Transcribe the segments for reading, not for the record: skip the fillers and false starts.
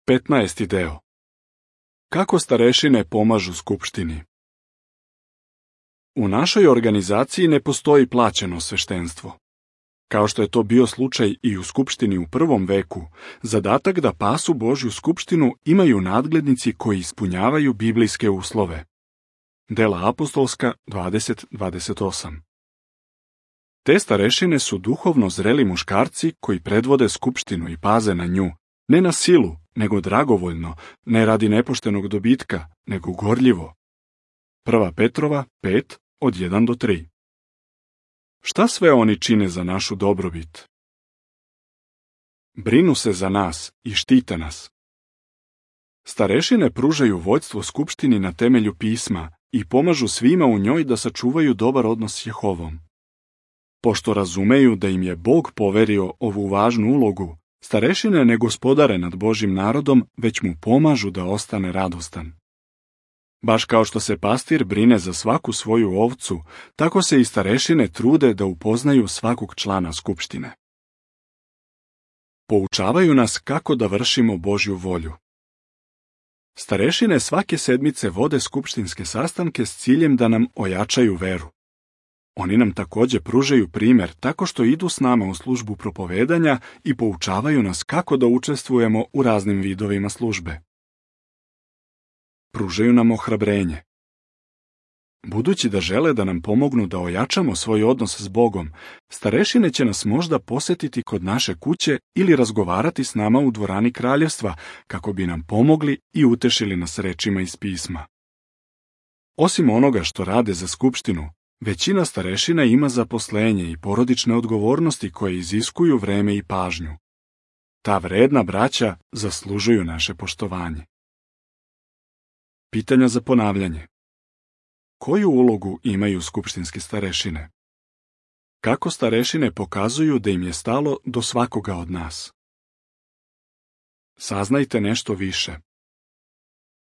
15. deo. Kako starešine pomažu skupštini? U našoj organizaciji ne postoji plaćeno sveštenstvo. Kao što je to bio slučaj i u skupštini u prvom veku, zadatak da pasu Božju skupštinu imaju nadglednici koji ispunjavaju biblijske uslove. Dela apostolska 20:28. Te starešine su duhovno zreli muškarci koji predvode skupštinu i paze na nju, ne na silu, nego dragovoljno, ne radi nepoštenog dobitka, nego gorljivo. 1. Petrova 5:1-3. Šta sve oni čine za našu dobrobit? Brinu se za nas i štite nas. Starešine pružaju vođstvo skupštini na temelju pisma i pomažu svima u njoj da sačuvaju dobar odnos s Jehovom. Pošto razumeju da im je Bog poverio ovu važnu ulogu, starešine ne gospodare nad Božjim narodom, već mu pomažu da ostane radostan. Baš kao što se pastir brine za svaku svoju ovcu, tako se i starešine trude da upoznaju svakog člana skupštine. Poučavaju nas kako da vršimo Božju volju. Starešine svake sedmice vode skupštinske sastanke s ciljem da nam ojačaju veru. Oni nam također pružaju primjer tako što idu s nama u službu propovedanja i poučavaju nas kako da učestvujemo u raznim vidovima službe. Pružaju nam ohrabrenje. Budući da žele da nam pomognu da ojačamo svoj odnos s Bogom, starešine će nas možda posjetiti kod naše kuće ili razgovarati s nama u dvorani kraljevstva kako bi nam pomogli i utešili nas rečima iz pisma. Osim onoga što rade za skupštinu, većina starešina ima zaposlenje i porodične odgovornosti koje iziskuju vreme i pažnju. Ta vredna braća zaslužuju naše poštovanje. Pitanja za ponavljanje. Koju ulogu imaju skupštinske starešine? Kako starešine pokazuju da im je stalo do svakoga od nas? Saznajte nešto više.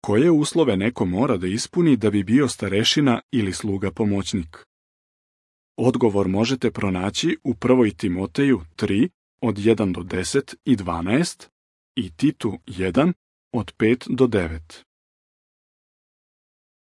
Koje uslove neko mora da ispuni da bi bio starešina ili sluga pomoćnik? Odgovor možete pronaći u 1. Timoteju 3:1-10 i 12 i Titu 1:5-9.